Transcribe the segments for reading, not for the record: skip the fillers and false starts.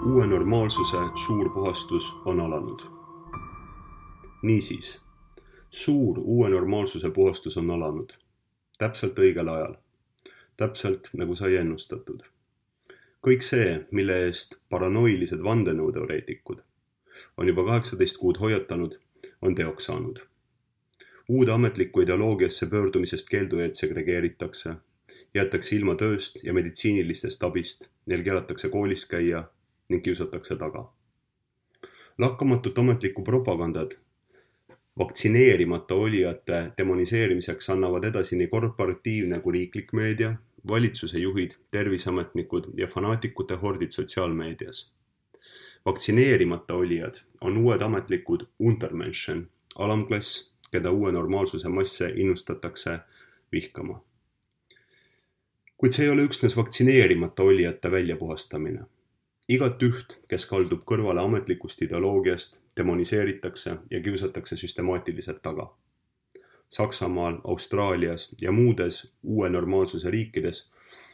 Uue normaalsuse suur puhastus on alanud. Niisiis, suur uue normaalsuse puhastus on alanud. Täpselt õigel ajal. Täpselt nagu sai ennustatud. Kõik see, mille eest paranoilised vandenõuteoreetikud on juba 18 kuud hoiatanud, on teoks saanud. Uude ametlikku ideoloogiasse pöördumisest keeldujaid segregeeritakse, jäetakse ilma tööst ja meditsiinilistest abist, neil keelatakse koolis käia ning kiusatakse taga. Lakkamatut ametlikku propagandat vaktsineerimata olijate demoniseerimiseks annavad edasi nii korporatiivne kui riiklik meedia, valitsuse juhid, terviseametnikud ja fanaatikute hordid sotsiaalmeedias. Vaktsineerimata olijad on uued ametlikud Untermenschen, alamklass, keda uue normaalsuse masse innustatakse vihkama. Kuid see ei ole üksnes vaktsineerimata olijate väljapuhastamine. Igat üht, kes kaldub kõrvale ametlikust ideoloogiast, demoniseeritakse ja kiusatakse süstemaatiliselt taga. Saksamaal, Austraalias ja muudes uue normaalsuse riikides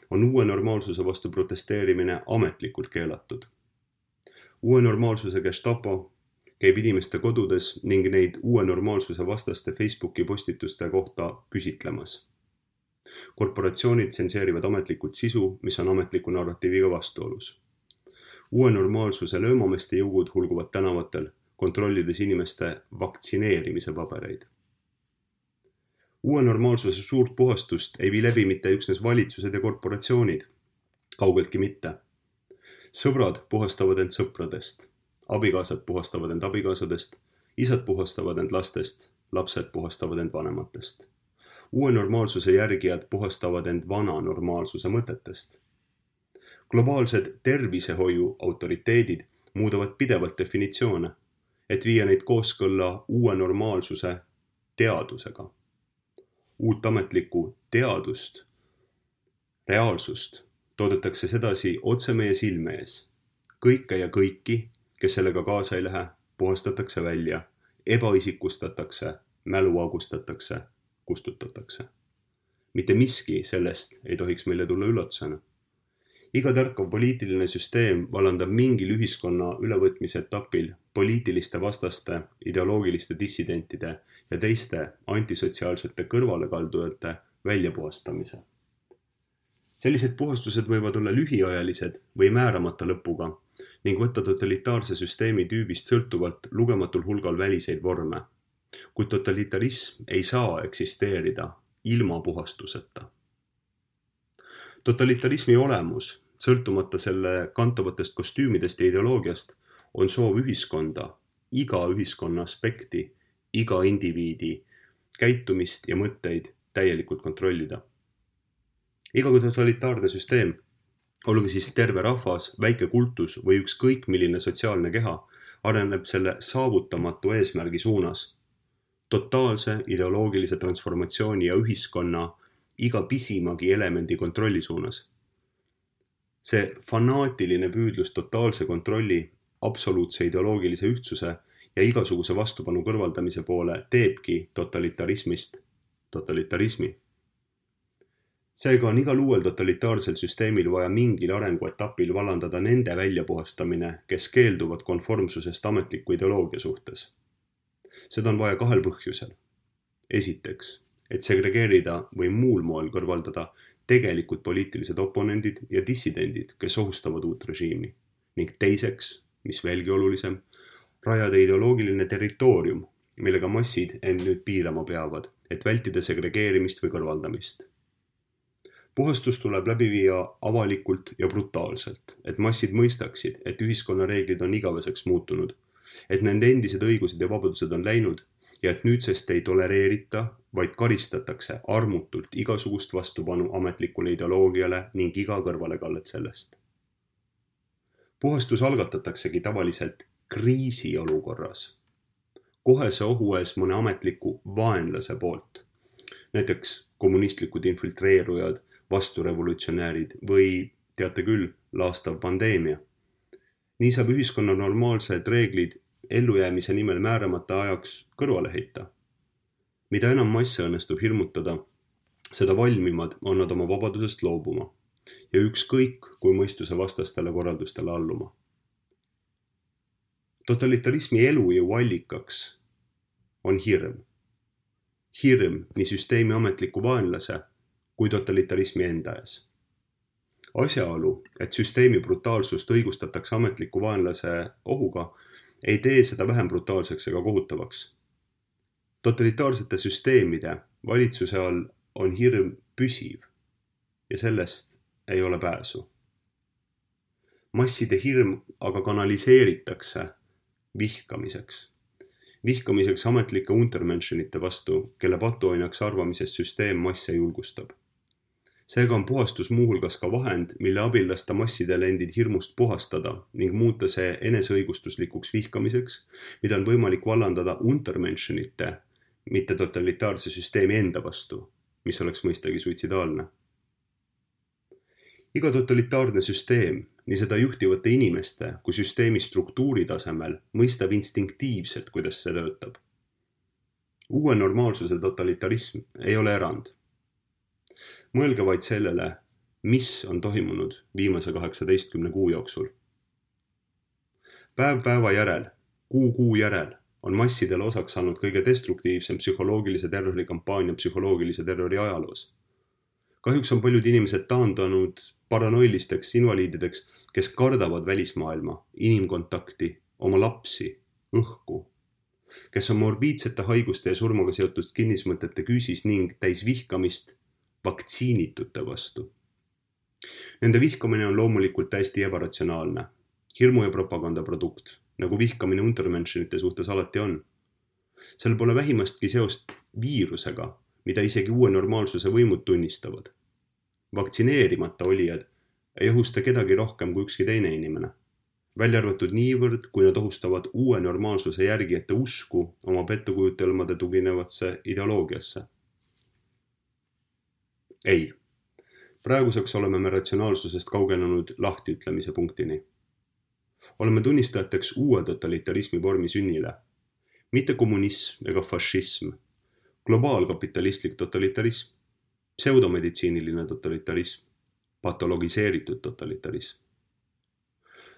on uue normaalsuse vastu protesteerimine ametlikult keelatud. Uue normaalsuse Gestapo käib inimeste kodudes ning neid uue normaalsuse vastaste Facebooki postituste kohta küsitlemas. Korporatsioonid tsenseerivad ametlikult sisu, mis on ametliku narratiiviga vastuolus. Uue normaalsuse löömameeste jõugud hulguvad tänavatel, kontrollides inimeste vaktsineerimise pabereid. Uue normaalsuse suurt puhastust ei vii läbi mitte üksnes valitsused ja korporatsioonid. Kaugeltki mitte. Sõbrad puhastavad end sõpradest. Abikaasad puhastavad end abikaasadest. Isad puhastavad end lastest. Lapsed puhastavad end vanematest. Uue normaalsuse järgijad puhastavad end vana normaalsuse mõtetest. Globaalsed tervisehoiu autoriteedid muudavad pidevalt definitsioone, et viia neid kooskõlla uue normaalsuse teadusega. Uut ametlikku teadust, reaalsust toodetakse sedasi otse meie silme ees. Kõike ja kõiki, kes sellega kaasa ei lähe, puhastatakse välja, ebaisikustatakse, mälu augustatakse, kustutatakse. Mitte miski sellest ei tohiks meile tulla üllatusena. Iga tarkav poliitiline süsteem vallandab mingil ühiskonna ülevõtmise etapil poliitiliste vastaste, ideoloogiliste dissidentide ja teiste antisotsiaalsete kõrvalekaldujate väljapuhastamise. Sellised puhastused võivad olla lühiajalised või määramata lõpuga ning võtta totalitaarse süsteemi tüübist sõltuvalt lugematul hulgal väliseid vorme, kuid totalitarism ei saa eksisteerida ilma puhastuseta. Totalitarismi olemus, sõltumata selle kantavatest kostüümidest ja ideoloogiast, on soov ühiskonda, iga ühiskonna aspekti, iga indiviidi käitumist ja mõtteid täielikult kontrollida. Iga totalitaarne süsteem, olgu siis terve rahvas, väike kultus või ükskõik milline sotsiaalne keha, areneb selle saavutamatu eesmärgi suunas, totaalse ideoloogilise transformatsiooni ja ühiskonna iga pisimagi elemendi kontrolli suunas. See fanaatiline püüdlus totaalse kontrolli, absoluutse ideoloogilise ühtsuse ja igasuguse vastupanu kõrvaldamise poole teebki totalitarismist totalitarismi. Seega on igal uuel totalitaarsel süsteemil vaja mingil arenguetapil vallandada nende väljapuhastamine, kes keelduvad konformsusest ametliku ideoloogia suhtes. Seda on vaja kahel põhjusel. Esiteks, et segregeerida või muul moel kõrvaldada tegelikult poliitilised oponendid ja dissidendid, kes ohustavad uut režiimi. Ning teiseks, mis veelgi olulisem, rajada ideoloogiline territoorium, millega massid end nüüd piirama peavad, et vältida segregeerimist või kõrvaldamist. Puhastus tuleb läbi viia avalikult ja brutaalselt, et massid mõistaksid, et ühiskonna reeglid on igaveseks muutunud, et nende endised õigused ja vabadused on läinud ja et nüüdsest ei tolereerita, vaid karistatakse armutult igasugust vastupanu ametlikule ideoloogiale ning iga kõrvalekallet sellest. Puhastus algatataksegi tavaliselt kriisiolukorras, kohese ohu ees mõne ametliku vaenlase poolt, näiteks kommunistlikud infiltreerujad, vasturevolutsionäärid või, teate küll, laastav pandeemia. Nii saab ühiskonna normaalsed reeglid ellujäämise nimel määramata ajaks kõrvale heita. Mida enam masse õnnestub hirmutada, seda valmimad on nad oma vabadusest loobuma ja ükskõik kui mõistuse vastastele korraldustele alluma. Totalitarismi elujõu allikaks on hirm. Hirm nii süsteemi ametliku vaenlase kui totalitarismi enda ees. Asjaolu, et süsteemi brutaalsust õigustatakse ametliku vaenlase ohuga, ei tee seda vähem brutaalseks ega kohutavaks. Totalitaarsete süsteemide valitsuse all on hirm püsiv ja sellest ei ole pääsu. Masside hirm aga kanaliseeritakse vihkamiseks. Vihkamiseks ametlike untermenschenite vastu, kelle patuoinaks arvamises süsteem masse julgustab. Seega on puhastus muuhulgas ka vahend, mille abil lasta massidele endid hirmust puhastada ning muuta see eneseõigustuslikuks vihkamiseks, mida on võimalik vallandada untermenschenite, mitte totalitaarse süsteemi enda vastu, mis oleks mõistagi suitsidaalne. Iga totalitaarne süsteem, nii seda juhtivate inimeste kui süsteemi struktuuri tasemel, mõistab instinktiivselt, kuidas see töötab. Uue normaalsuse totalitarism ei ole erand. Mõelge vaid sellele, mis on toimunud viimase 18 kuu jooksul. Päev päeva järel, kuu järel on massidele osaks saanud kõige destruktiivsem psühholoogilise terrori kampaania psühholoogilise terrori ajaloos. Kahjuks on paljud inimesed taandunud paranoilisteks invaliidideks, kes kardavad välismaailma, inimkontakti, oma lapsi, õhku, kes on morbiidsete haiguste ja surmaga seotud kinnismõtete küüsis ning täis vihkamist vaktsiinitute vastu. Nende vihkamine on loomulikult täiesti ebaratsionaalne, hirmu ja propaganda produkt, nagu vihkamine untermenschenite suhtes alati on. Seal pole vähimastki seost viirusega, mida isegi uue normaalsuse võimud tunnistavad. Vaktsineerimata olijad ei ohusta kedagi rohkem kui ükski teine inimene. Välja arvatud niivõrd, kui nad ohustavad uue normaalsuse järgijate usku oma pettukujutelmade tuginevatse ideoloogiasse. Ei, praeguseks oleme me ratsionaalsusest kaugenenud lahtiütlemise punktini. Oleme tunnistajateks uue totalitarismi vormi sünnile. Mitte kommunism ega fašism, globaalkapitalistlik totalitarism, pseudomeditsiiniline totalitarism, patologiseeritud totalitarism.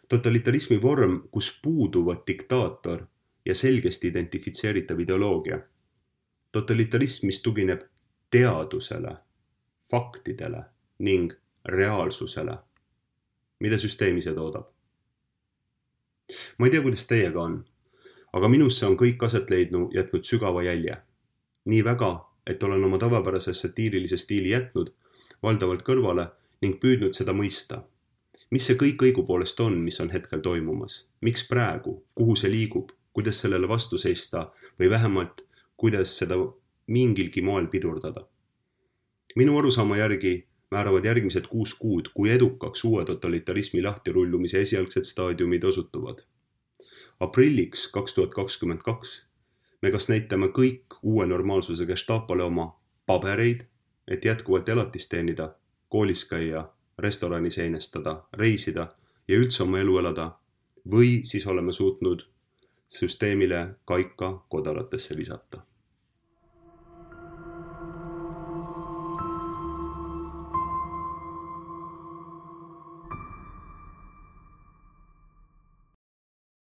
Totalitarismi vorm, kus puuduvad diktaator ja selgesti identifitseeritav ideoloogia. Totalitarism, mis tugineb teadusele, faktidele ning reaalsusele, mida süsteem ise toodab. Ma ei tea, kuidas teiega on, aga minusse on kõik aset jätnud sügava jälje. Nii väga, et olen oma tavapärase satiirilise stiili jätnud valdavalt kõrvale ning püüdnud seda mõista. Mis see kõik õigupoolest on, mis on hetkel toimumas? Miks praegu? Kuhu see liigub? Kuidas sellele vastu seista või vähemalt, kuidas seda mingilgi moel pidurdada? Minu arusaama järgi määravad järgmised 6 kuud, kui edukaks uue totalitarismi lahtirullumise esialgsed staadiumid osutuvad. Aprilliks 2022 me kas näitame kõik uue normaalsuse Gestapole oma pabereid, et jätkuvalt elatist teenida, koolis käia, restoranis einestada, reisida ja üldse oma elu elada, või siis oleme suutnud süsteemile kaika kodaratesse visata.